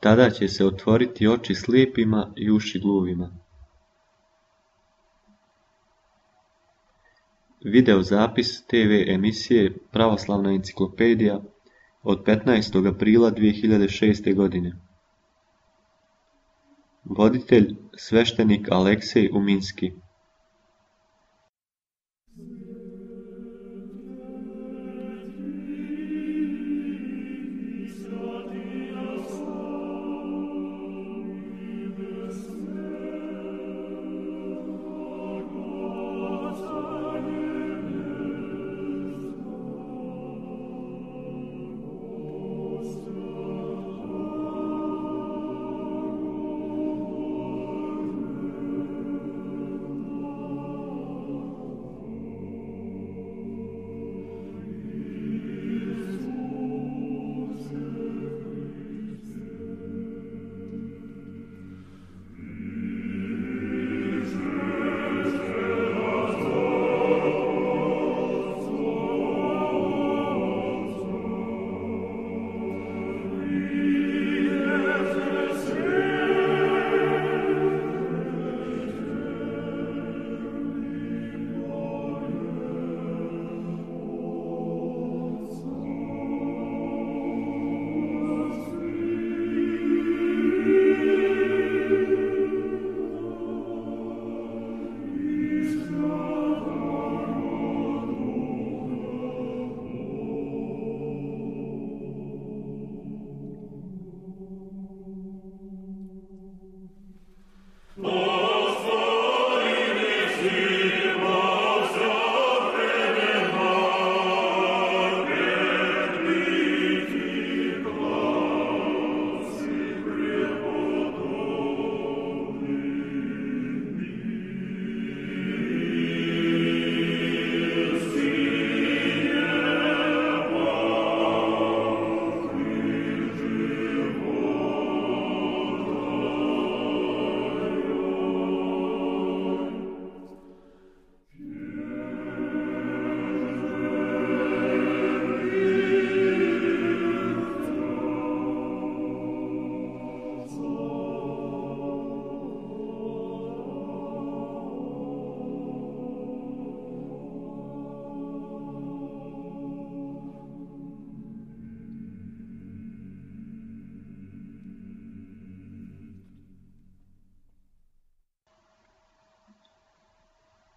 Tada će se otvoriti oči slijepima i uši gluvima. Video zapis TV emisije Pravoslavna enciklopedija od 15. aprila 2006. godine. Voditelj sveštenik Aleksej Uminski.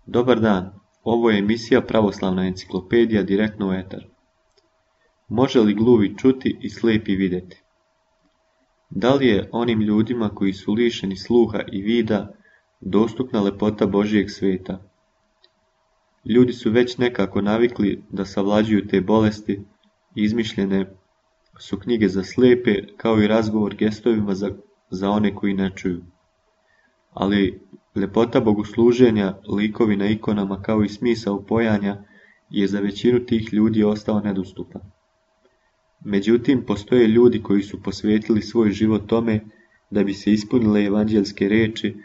Dobar dan, ovo je emisija Pravoslavna enciklopedija direktno u etar. Može li gluvi čuti i slijepi vidjeti? Da li je onim ljudima koji su lišeni sluha i vida dostupna lepota Božijeg sveta? Ljudi su već nekako navikli da savlađuju te bolesti i izmišljene su knjige za slijepe kao i razgovor gestovima za one koji ne čuju. Ali ljepota bogosluženja, likovi na ikonama kao i smisao pojanja je za većinu tih ljudi ostao nedostupan. Međutim, postoje ljudi koji su posvetili svoj život tome da bi se ispunile evanđeljske riječi,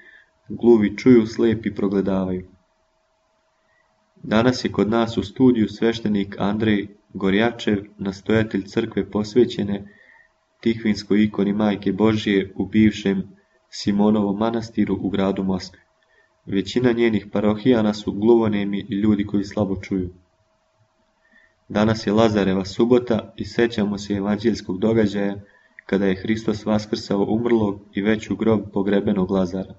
gluvi čuju, slijepi progledavaju. Danas je kod nas u studiju sveštenik Andrej Gorjačev, nastojatelj crkve posvećene Tihvinskoj ikoni Majke Božije u bivšem Simonovom manastiru u gradu Moskvi. Većina njenih parohijana su gluvonemi i ljudi koji slabo čuju. Danas je Lazareva subota i sećamo se evanđeljskog događaja kada je Hristos vaskrsao umrlog i već u grob pogrebenog Lazara.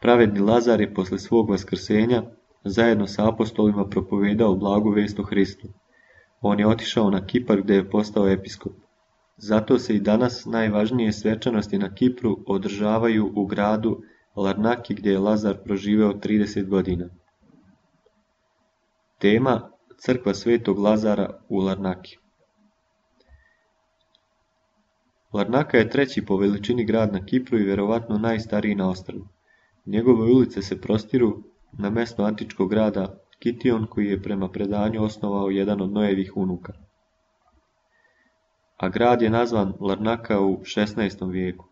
Pravedni Lazar je posle svog vaskrsenja zajedno sa apostolima propovedao blagu vest o Hristu. On je otišao na Kipar gdje je postao episkop. Zato se i danas najvažnije svečanosti na Kipru održavaju u gradu Larnaki gdje je Lazar proživeo 30 godina. Tema: Crkva Svetog Lazara u Larnaki. Larnaka je treći po veličini grad na Kipru i vjerovatno najstariji na ostrvu. Njegove ulice se prostiru na mjesto antičkog grada Kition, koji je prema predanju osnovao jedan od Noevih unuka. A grad je nazvan Larnaka u 16. vijeku.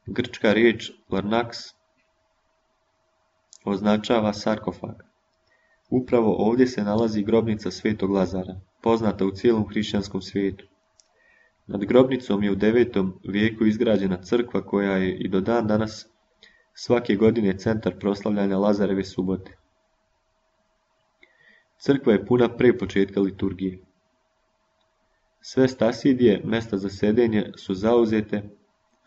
Grčka riječ Larnaks označava sarkofag. Upravo ovdje se nalazi grobnica Svetog Lazara, poznata u cijelom hrišćanskom svijetu. Nad grobnicom je u 9. vijeku izgrađena crkva koja je i do dan danas svake godine centar proslavljanja Lazareve subote. Crkva je puna pre početka liturgije. Sve stasidije, mesta za sedenje, su zauzete,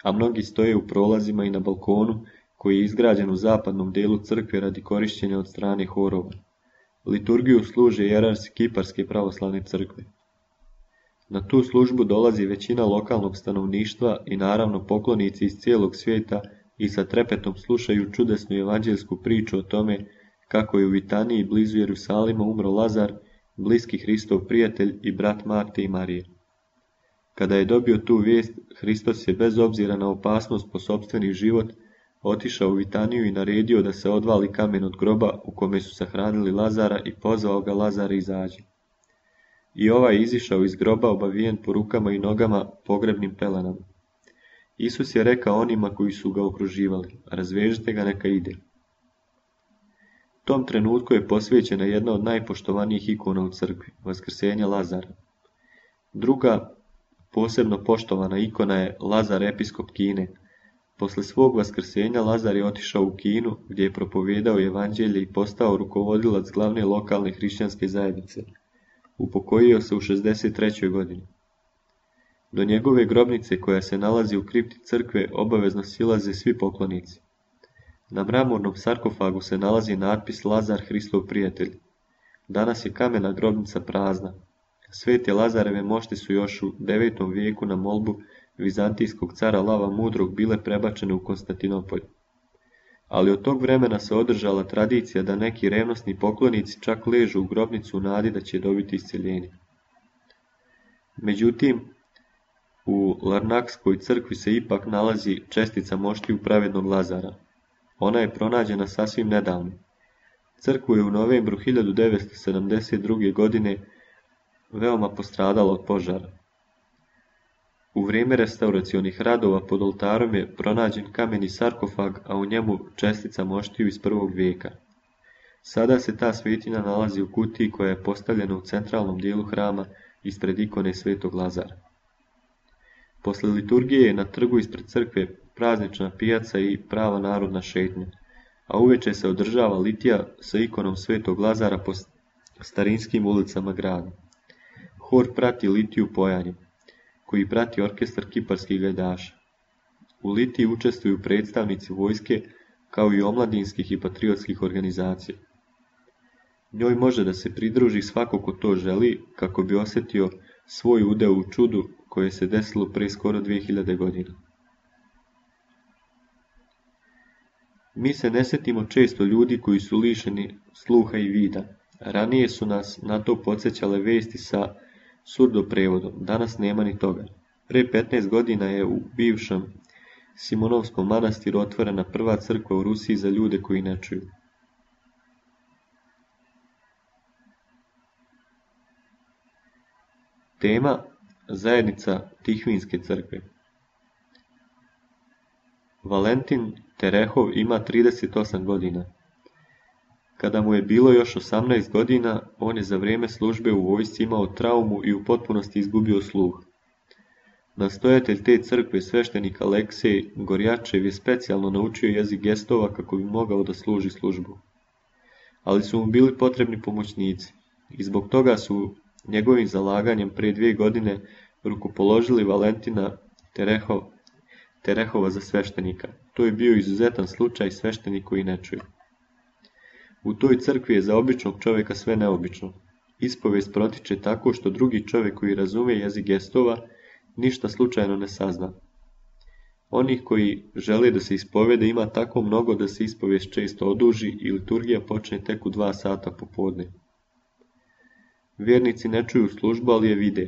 a mnogi stoje u prolazima i na balkonu koji je izgrađen u zapadnom delu crkve radi korišćenja od strane horova. Liturgiju služe jerarsi Kiparske pravoslavne crkve. Na tu službu dolazi većina lokalnog stanovništva i naravno poklonici iz cijelog svijeta i sa trepetom slušaju čudesnu evanđeljsku priču o tome kako je u Vitaniji blizu Jerusalima umro Lazar, bliski Hristov prijatelj i brat Marte i Marije. Kada je dobio tu vijest, Hristos je bez obzira na opasnost po sopstveni život otišao u Vitaniju i naredio da se odvali kamen od groba u kome su sahranili Lazara i pozvao ga: Lazare, izađi. I ovaj je izišao iz groba obavijen po rukama i nogama pogrebnim pelenama. Isus je rekao onima koji su ga okruživali: razvežite ga, neka ide. Tom trenutku je posvećena jedna od najpoštovanijih ikona u crkvi, vaskrsenje Lazara. Druga, posebno poštovana ikona je Lazar, episkop Kine. Posle svog vaskrsenja Lazar je otišao u Kinu, gdje je propovijedao evanđelje i postao rukovodilac glavne lokalne hrišćanske zajednice. Upokojio se u 63. godini. Do njegove grobnice, koja se nalazi u kripti crkve, obavezno silaze svi poklonici. Na mramornom sarkofagu se nalazi natpis Lazar, Hristov prijatelj. Danas je kamena grobnica prazna. Svete Lazareve mošti su još u 9. vijeku na molbu vizantijskog cara Lava Mudrog bile prebačene u Konstantinopolj. Ali od tog vremena se održala tradicija da neki revnosni poklonici čak ležu u grobnicu u nadi da će dobiti isceljenje. Međutim, u Larnakskoj crkvi se ipak nalazi čestica moštiju pravednog Lazara. Ona je pronađena sasvim nedavno. Crkvu je u novembru 1972. godine veoma postradala od požara. U vrijeme restauracionih radova pod oltarom je pronađen kameni sarkofag, a u njemu čestica moštiju iz 1. vijeka. Sada se ta svetinja nalazi u kutiji koja je postavljena u centralnom dijelu hrama ispred ikone Svetog Lazara. Posle liturgije je na trgu ispred crkve praznična pijaca i prava narodna šetnja, a uveče se održava litija sa ikonom Svetog Lazara po starinskim ulicama grada. Hor prati litiju pojanjem, koji prati orkestar kiparskih gajdaša. U litiji učestvuju predstavnici vojske, kao i omladinskih i patriotskih organizacija. Njoj može da se pridruži svako ko to želi, kako bi osjetio svoj udeo u čudu koje se desilo pre skoro 2000 godina. Mi se ne sjetimo često ljudi koji su lišeni sluha i vida. Ranije su nas na to podsjećale vesti sa surdoprevodom, danas nema ni toga. Pre 15 godina je u bivšem Simonovskom manastiru otvorena prva crkva u Rusiji za ljude koji ne čuju. Tema: zajednica Tihvinske crkve. Valentin Terehov ima 38 godina. Kada mu je bilo još 18 godina, on je za vrijeme službe u vojsci imao traumu i u potpunosti izgubio sluh. Nastojatelj te crkve, sveštenik Aleksej Gorjačev, je specijalno naučio jezik gestova kako bi mogao da služi službu. Ali su mu bili potrebni pomoćnici i zbog toga su njegovim zalaganjem pre 2 godine rukopoložili Valentina Terehova za sveštenika. To je bio izuzetan slučaj, sveštenik koji ne čuje. U toj crkvi je za običnog čovjeka sve neobično. Ispovijest protiče tako što drugi čovjek koji razume jezik gestova ništa slučajno ne sazna. Onih koji žele da se ispovede ima tako mnogo da se ispovijest često oduži i liturgija počne tek u 2 sata popodne. Vjernici ne čuju službu, ali je vide.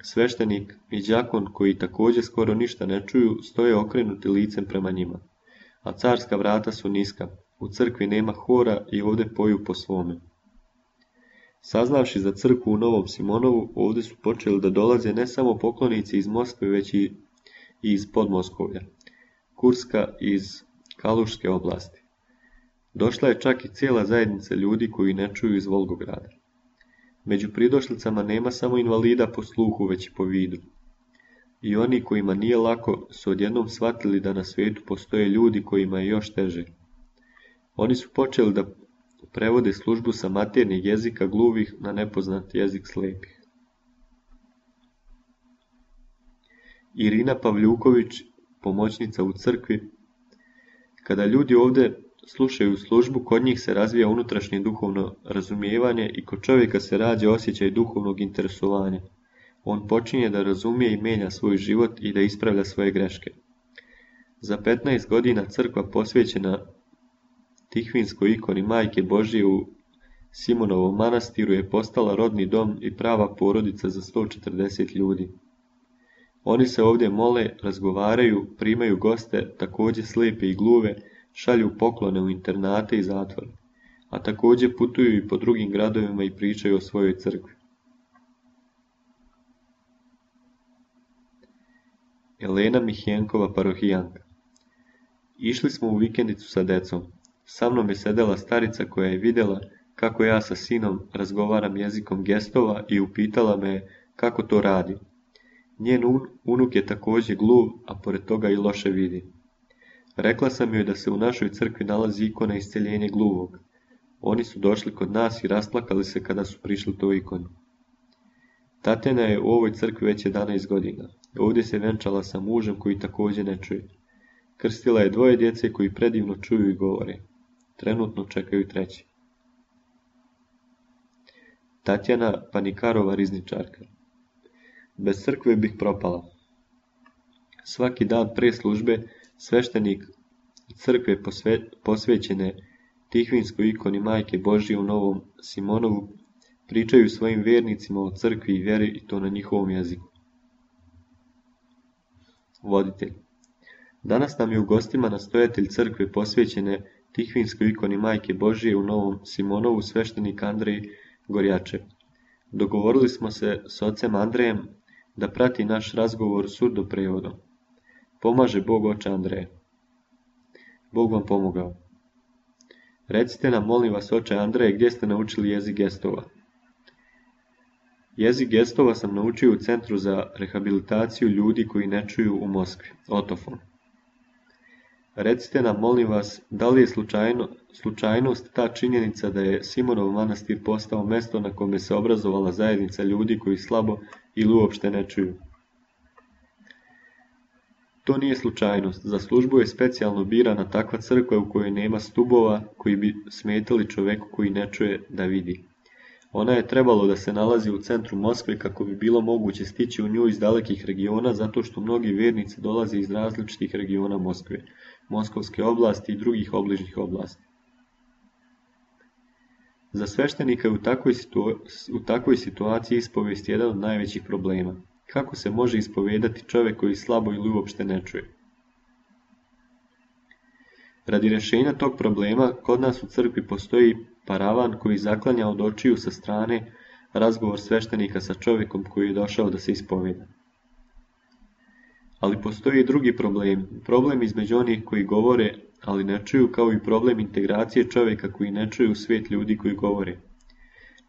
Sveštenik i đakon, koji također skoro ništa ne čuju, stoje okrenuti licem prema njima. A carska vrata su niska, u crkvi nema hora i ovdje poju po svome. Saznavši za crkvu u Novom Simonovu, ovdje su počeli da dolaze ne samo poklonici iz Moskve, već i iz Podmoskovlja, Kurska iz Kaluške oblasti. Došla je čak i cijela zajednica ljudi koji ne čuju iz Volgograda. Među pridošlicama nema samo invalida po sluhu, već i po vidu. I oni kojima nije lako su odjednom shvatili da na svijetu postoje ljudi kojima je još teže. Oni su počeli da prevode službu sa maternjeg jezika gluvih na nepoznat jezik slijepih. Irina Pavljuković, pomoćnica u crkvi. Kada ljudi ovdje slušaju službu, kod njih se razvija unutrašnje duhovno razumijevanje i kod čovjeka se rađa osjećaj duhovnog interesovanja. On počinje da razumije i mijenja svoj život i da ispravlja svoje greške. Za 15 godina crkva posvećena Tihvinskoj ikoni Majke Božije u Simonovom manastiru je postala rodni dom i prava porodica za 140 ljudi. Oni se ovdje mole, razgovaraju, primaju goste, također slijepe i gluve, šalju poklone u internate i zatvore, a također putuju i po drugim gradovima i pričaju o svojoj crkvi. Elena Mihjenkova, parohijanka. Išli smo u vikendicu sa decom. Sa mnom je sedela starica koja je vidjela kako ja sa sinom razgovaram jezikom gestova i upitala me kako to radi. Njen unuk je također gluv, a pored toga i loše vidi. Rekla sam joj da se u našoj crkvi nalazi ikona isceljenja gluvog. Oni su došli kod nas i rasplakali se kada su prišli toj ikoni. Tatjana je u ovoj crkvi već 11 godina. Ovdje se venčala sa mužem koji također ne čuje. Krstila je 2 djece koji predivno čuju i govore. Trenutno čekaju 3. Tatjana Panikarova, rizničarka. Bez crkve bih propala. Svaki dan pre službe sveštenik crkve posvećene Tihvinskoj ikoni Majke Božije u Novom Simonovu pričaju svojim vjernicima o crkvi i vjeri i to na njihovom jeziku. Voditelj. Danas nam je u gostima nastojatelj crkve posvećene Tihvinskoj ikoni Majke Božije u Novom Simonovu, sveštenik Andrej Gorjačev. Dogovorili smo se s ocem Andrejem da prati naš razgovor surdoprevodom. Pomaže Bog oče Andreja. Bog vam pomogao. Recite nam, molim vas, oče Andreje, gdje ste naučili jezik gestova? Jezik gestova sam naučio u Centru za rehabilitaciju ljudi koji ne čuju u Moskvi, Otofon. Recite nam, molim vas, da li je slučajnost ta činjenica da je Simonov manastir postao mjesto na kome se obrazovala zajednica ljudi koji slabo ili uopšte ne čuju? To nije slučajnost. Za službu je specijalno birana takva crkva u kojoj nema stubova koji bi smetali čovjeku koji ne čuje da vidi. Ona je trebalo da se nalazi u centru Moskve kako bi bilo moguće stići u nju iz dalekih regiona, zato što mnogi vjernici dolaze iz različitih regiona Moskve, Moskovske oblasti i drugih obližnjih oblasti. Za sveštenika je u takvoj situaciji ispovijest jedan od najvećih problema. Kako se može ispovedati čovjek koji slabo ili uopšte ne čuje? Radi rješenja tog problema, kod nas u crkvi postoji paravan koji zaklanja od očiju sa strane razgovor sveštenika sa čovjekom koji je došao da se ispoveda. Ali postoji i drugi problem. Problem između onih koji govore, ali ne čuju, kao i problem integracije čovjeka koji ne čuje u svijet ljudi koji govore.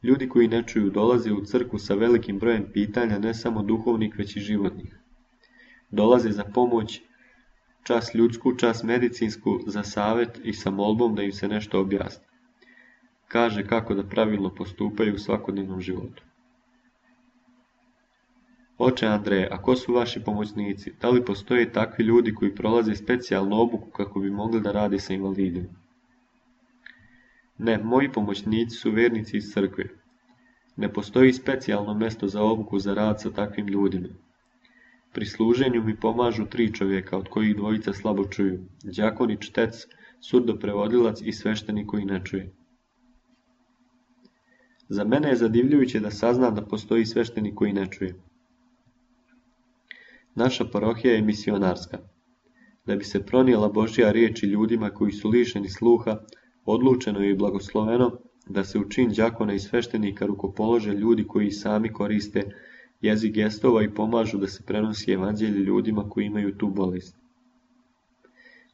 Ljudi koji ne čuju dolaze u crkvu sa velikim brojem pitanja, ne samo duhovnih, već i životnih. Dolaze za pomoć, čas ljudsku, čas medicinsku, za savjet i sa molbom da im se nešto objasni. Kaže kako da pravilno postupaju u svakodnevnom životu. Oče Andreje, a ko su vaši pomoćnici? Da li postoje takvi ljudi koji prolaze specijalnu obuku kako bi mogli da rade sa invalidima? Ne, moji pomoćnici su vjernici iz crkve. Ne postoji specijalno mjesto za obuku za rad sa takvim ljudima. Pri služenju mi pomažu 3 čovjeka, od kojih 2 slabo čuju. Đakon i čtec, surdoprevodilac i sveštenik koji ne čuje. Za mene je zadivljujuće da saznam da postoji sveštenik koji ne čuje. Naša parohija je misionarska. Da bi se pronijela Božja riječ i ljudima koji su lišeni sluha, odlučeno je i blagosloveno da se u čin đakona i sveštenika rukopolože ljudi koji sami koriste jezik gestova i pomažu da se prenosi evanđelje ljudima koji imaju tu bolest.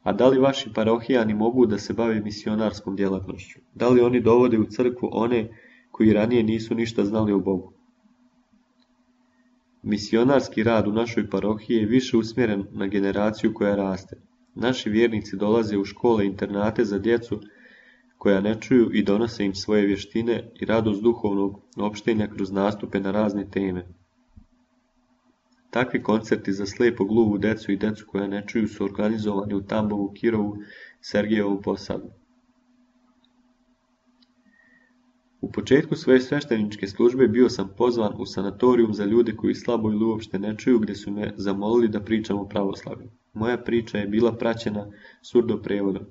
A da li vaši parohijani mogu da se bave misionarskom djelatnošću? Da li oni dovode u crkvu one koji ranije nisu ništa znali o Bogu? Misionarski rad u našoj parohiji je više usmjeren na generaciju koja raste. Naši vjernici dolaze u škole i internate za djecu koja ne čuju i donose im svoje vještine i radost duhovnog opštenja kroz nastupe na razne teme. Takvi koncerti za slijepo gluvu decu i decu koja ne čuju su organizovani u Tambovu, Kirovu, Sergejevom Posavlju. U početku svoje svešteničke službe bio sam pozvan u sanatorijum za ljude koji slabo ili uopšte ne čuju, gdje su me zamolili da pričam o pravoslavlju. Moja priča je bila praćena surdoprevodom,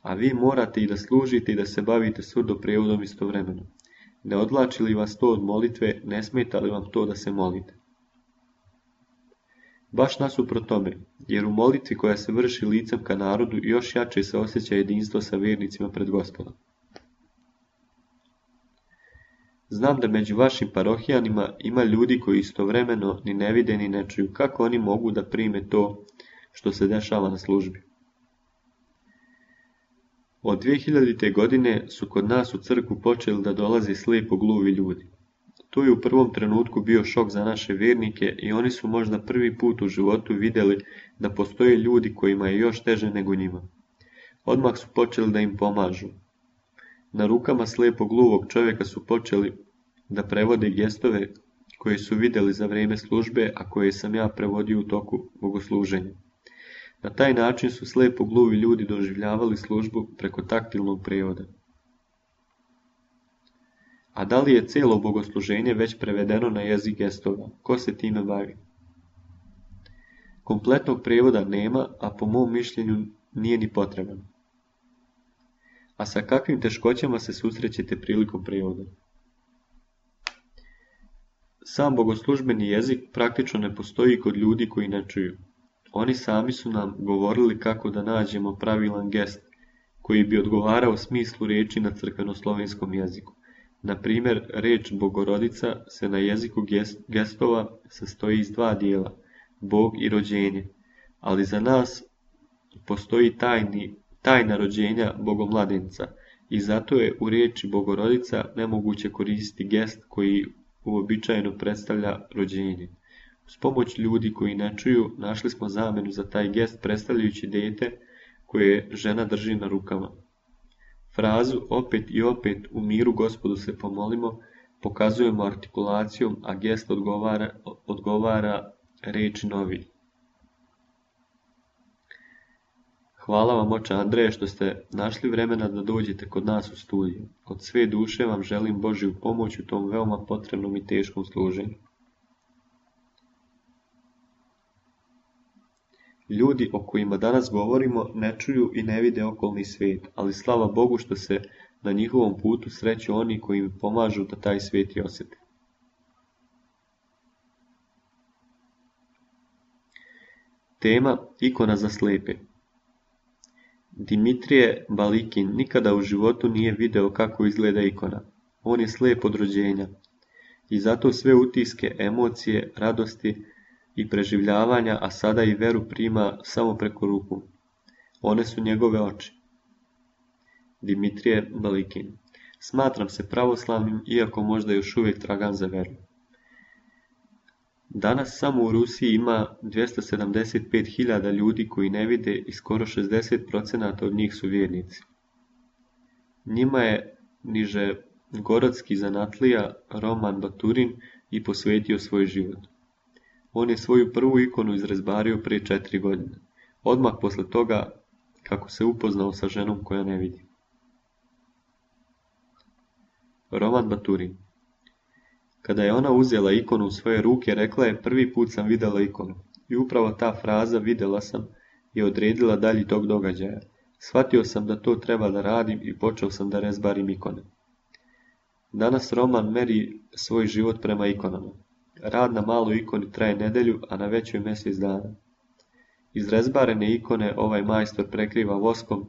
a vi morate i da služite i da se bavite surdoprevodom istovremeno. Ne odvlači li vas to od molitve, ne smeta li vam to da se molite? Baš nasuprot tome, jer u molitvi koja se vrši licem ka narodu još jače se osjeća jedinstvo sa vjernicima pred Gospodom. Znam da među vašim parohijanima ima ljudi koji istovremeno ni ne vide ni ne čuju. Kako oni mogu da prime to što se dešava na službi? Od 2000. godine su kod nas u crkvu počeli da dolaze slijepo gluvi ljudi. To je u prvom trenutku bio šok za naše vjernike i oni su možda prvi put u životu vidjeli da postoje ljudi kojima je još teže nego njima. Odmah su počeli da im pomažu. Na rukama slijepo gluvog čovjeka su počeli da prevode gestove koje su vidjeli za vrijeme službe, a koje sam ja prevodio u toku bogosluženja. Na taj način su slijepo gluvi ljudi doživljavali službu preko taktilnog prijevoda. A da li je cijelo bogosluženje već prevedeno na jezik gestova? Ko se time bavi? Kompletnog prijevoda nema, a po mom mišljenju nije ni potreban. A sa kakvim teškoćama se susrećete prilikom prijevoda? Sam bogoslužbeni jezik praktično ne postoji kod ljudi koji ne čuju. Oni sami su nam govorili kako da nađemo pravilan gest koji bi odgovarao smislu riječi na crkvenoslovenskom jeziku. Na primjer, riječ Bogorodica se na jeziku gestova sastoji iz dva dijela, Bog i rođenje, ali za nas postoji tajna rođenja Bogomladenca i zato je u riječi Bogorodica nemoguće koristiti gest koji uobičajeno predstavlja rođenje. Uz pomoć ljudi koji ne čuju našli smo zamjenu za taj gest predstavljajući dijete koje žena drži na rukama. Frazu opet i opet u miru Gospodu se pomolimo pokazujemo artikulacijom, a gest odgovara riječi novi. Hvala vam, oče Andreje, što ste našli vremena da dođete kod nas u studiju. Od sve duše vam želim Božju pomoć u tom veoma potrebnom i teškom služenju. Ljudi o kojima danas govorimo ne čuju i ne vide okolni svijet, ali slava Bogu što se na njihovom putu sreću oni koji im pomažu da taj svijet i osjete. Tema ikona za slijepe. Dimitrije Balikin nikada u životu nije video kako izgleda ikona. On je slijep od rođenja i zato sve utiske, emocije, radosti i preživljavanja, a sada i veru prima samo preko ruku. One su njegove oči. Dimitrije Balikin. Smatram se pravoslavnim, iako možda još uvijek tragam za veru. Danas samo u Rusiji ima 275.000 ljudi koji ne vide i skoro 60% od njih su vjernici. Njima je nižegorodski zanatlija Roman Baturin i posvetio svoj život. On je svoju prvu ikonu izrezbario prije 4 godine, odmah posle toga kako se upoznao sa ženom koja ne vidi. Roman Baturin. Kada je ona uzela ikonu u svoje ruke, rekla je: prvi put sam vidjela ikonu. I upravo ta fraza vidjela sam je odredila dalji tog događaja. Shvatio sam da to treba da radim i počeo sam da rezbarim ikone. Danas Roman meri svoj život prema ikonama. Rad na maloj ikoni traje nedelju, a na većoj mjesec dana. Izrezbarene ikone ovaj majstor prekriva voskom.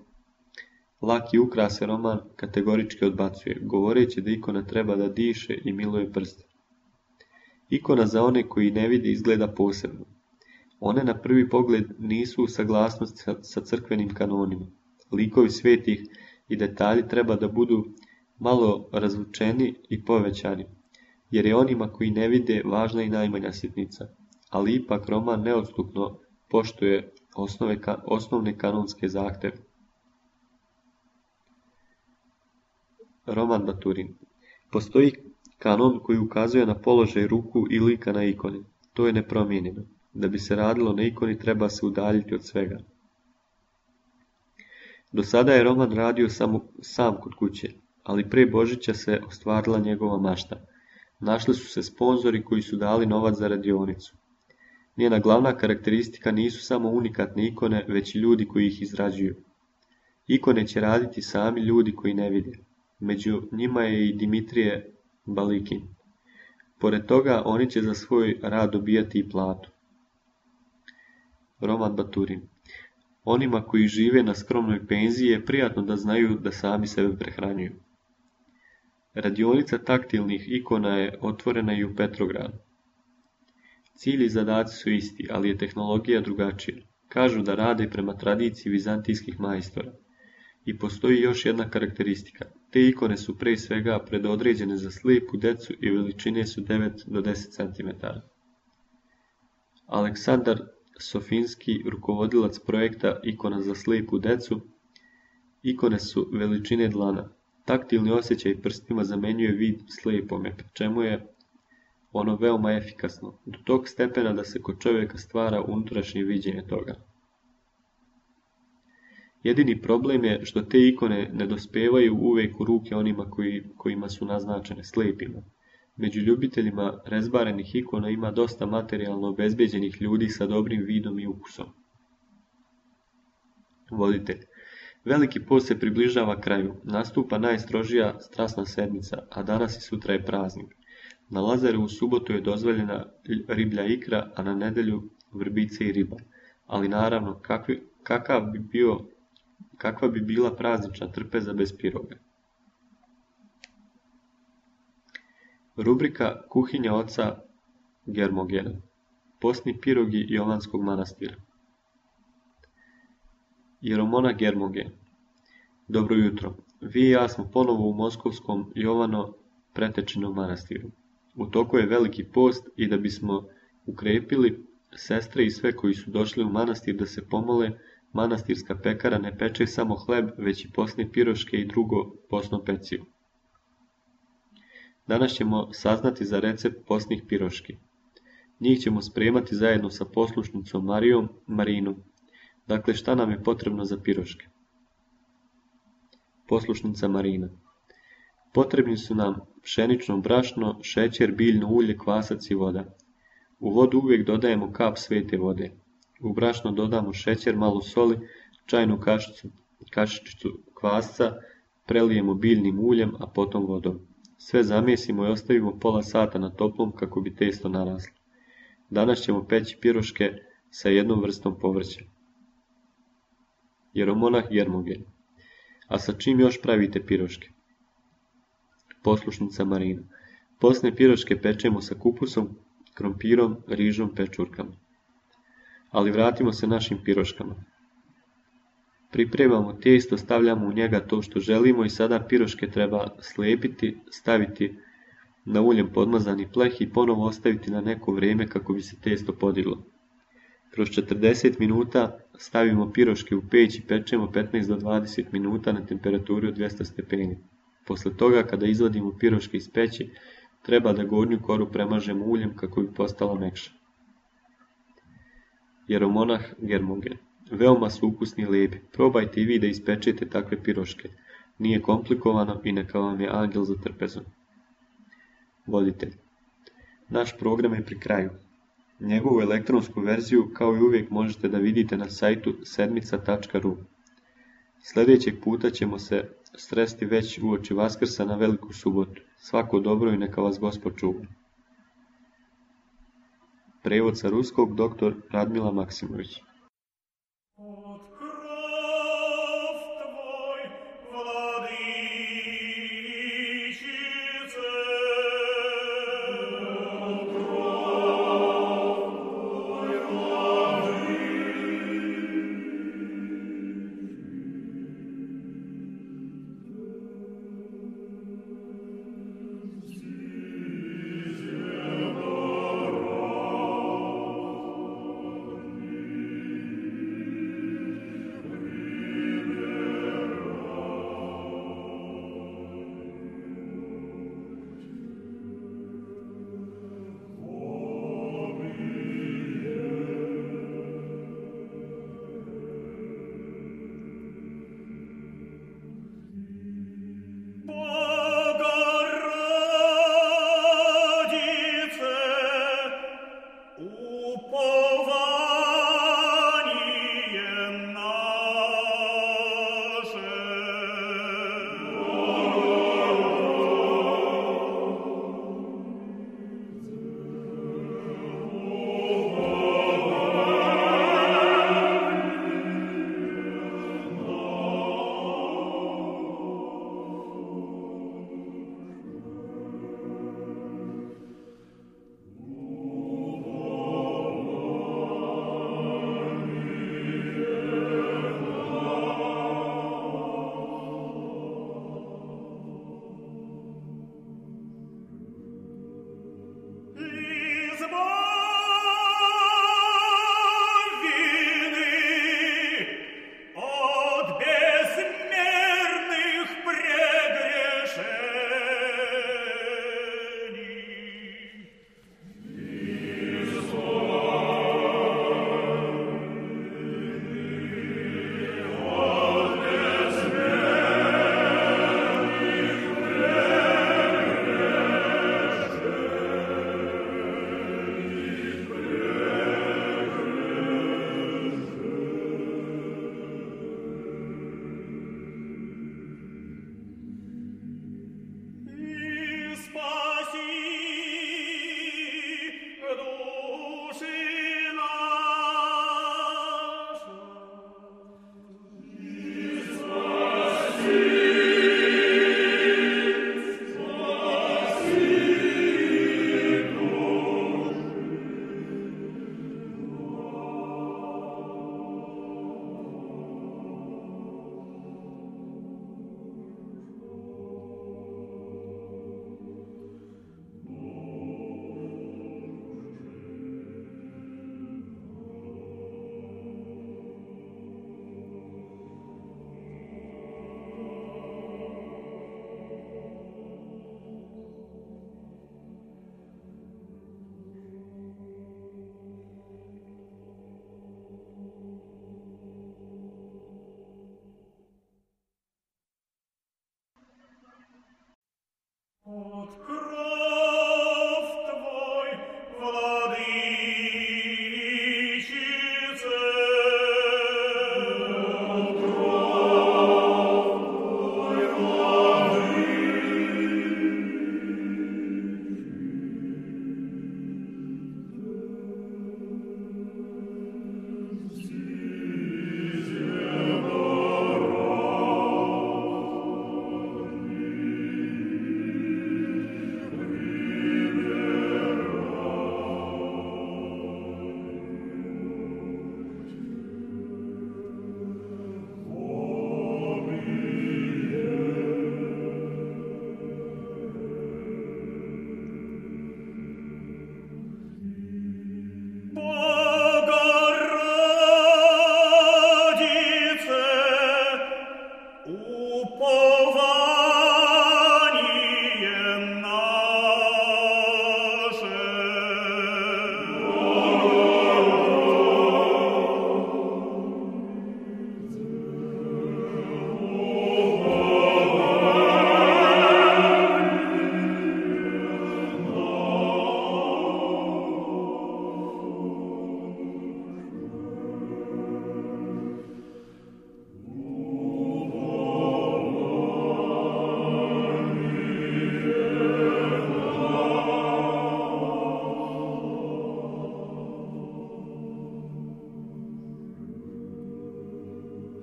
Laki ukrase Roman kategorički odbacuje, govoreći da ikona treba da diše i miluje prste. Ikona za one koji ne vide izgleda posebno. One na prvi pogled nisu u saglasnosti sa crkvenim kanonima. Likovi svetih i detalji treba da budu malo razvučeni i povećani. jer je onima koji ne vide važna i najmanja sitnica, ali ipak roman neodstupno poštuje osnovne kanonske zahtjeve. Roman Baturin. Postoji kanon koji ukazuje na položaj ruku i lika na ikoni. To je nepromijenjeno. Da bi se radilo na ikoni treba se udaljiti od svega. Do sada je roman radio sam kod kuće, ali pre Božića se ostvarila njegova mašta. Našli su se sponzori koji su dali novac za radionicu. Njena glavna karakteristika nisu samo unikatne ikone, već i ljudi koji ih izrađuju. Ikone će raditi sami ljudi koji ne vide. Među njima je i Dimitrije Balikin. Pored toga, oni će za svoj rad dobijati i platu. Roman Baturin. Onima koji žive na skromnoj penziji je prijatno da znaju da sami sebe prehranjuju. Radionica taktilnih ikona je otvorena i u Petrogradu. Cilj i zadaci su isti, ali je tehnologija drugačija. Kažu da rade prema tradiciji vizantijskih majstora. I postoji još jedna karakteristika. Te ikone su pre svega predodređene za slijepu decu i veličine su 9 do 10 cm. Aleksandar Sofinski, rukovodilac projekta Ikona za slijepu decu. Ikone su veličine dlana. Taktilni osjećaj prstima zamenjuje vid slijepome, pri čemu je ono veoma efikasno, do tog stepena da se kod čovjeka stvara unutrašnje viđenje toga. Jedini problem je što te ikone ne dospevaju uvijek u ruke onima kojima su naznačene slijepima. Među ljubiteljima rezbarenih ikona ima dosta materijalno obezbeđenih ljudi sa dobrim vidom i ukusom. Voditelj. Veliki post se približava kraju, nastupa najstrožija strasna sedmica, a danas i sutra je praznik. Na Lazarevu subotu je dozvoljena riblja ikra, a na nedjelju vrbice i riba. Ali naravno, kakva bi bila praznična trpeza bez piroga? Rubrika Kuhinja oca Germogena. Postni pirogi Jovanskog manastira. Jeromonah Germogen. Dobro jutro. Vi i ja smo ponovo u moskovskom Jovano Pretečinom manastiru. U toku je veliki post i da bismo ukrepili sestre i sve koji su došli u manastir da se pomole, manastirska pekara ne peče samo hleb, već i posne piroške i drugo posno pecivo. Danas ćemo saznati za recept posnih piroški. Njih ćemo spremati zajedno sa poslušnicom Marinom. Dakle, šta nam je potrebno za piroške? Poslušnica Marina. Potrebni su nam pšenično brašno, šećer, biljno ulje, kvasac i voda. U vodu uvijek dodajemo kap svete vode. U brašno dodamo šećer, malo soli, čajnu kašičicu kvasca, prelijemo biljnim uljem, a potom vodom. Sve zamjesimo i ostavimo pola sata na toplom kako bi testo naraslo. Danas ćemo peći piroške sa jednom vrstom povrća. Jeromonah Germogen. A sa čim još pravite piroške? Poslušnica Marina. Posne piroške pečemo sa kupusom, krompirom, rižom, pečurkama. Ali vratimo se našim piroškama. Pripremamo tijesto, stavljamo u njega to što želimo i sada piroške treba slijepiti, staviti na uljem podmazani pleh i ponovo ostaviti na neko vrijeme kako bi se tijesto podiglo. Kroz 40 minuta stavimo piroške u peć i pečemo 15 do 20 minuta na temperaturi od 200 stepeni. Posle toga, kada izvadimo piroške iz peći, treba da gornju koru premažemo uljem kako bi postala mekša. Jeromonah Germogen. Veoma su ukusni i lijepi. Probajte i vi da ispečete takve piroške. Nije komplikovano i neka vam je angel za trpezom. Voditelj. Naš program je pri kraju. Njegovu elektronsku verziju kao i uvijek možete da vidite na sajtu sedmica.ru. Sljedećeg puta ćemo se sresti već uoči Vaskrsa na Veliku subotu. Svako dobro i neka vas Gospod čuva. Prevod sa ruskog dr. Radmila Maksimović.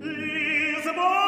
Lisbon!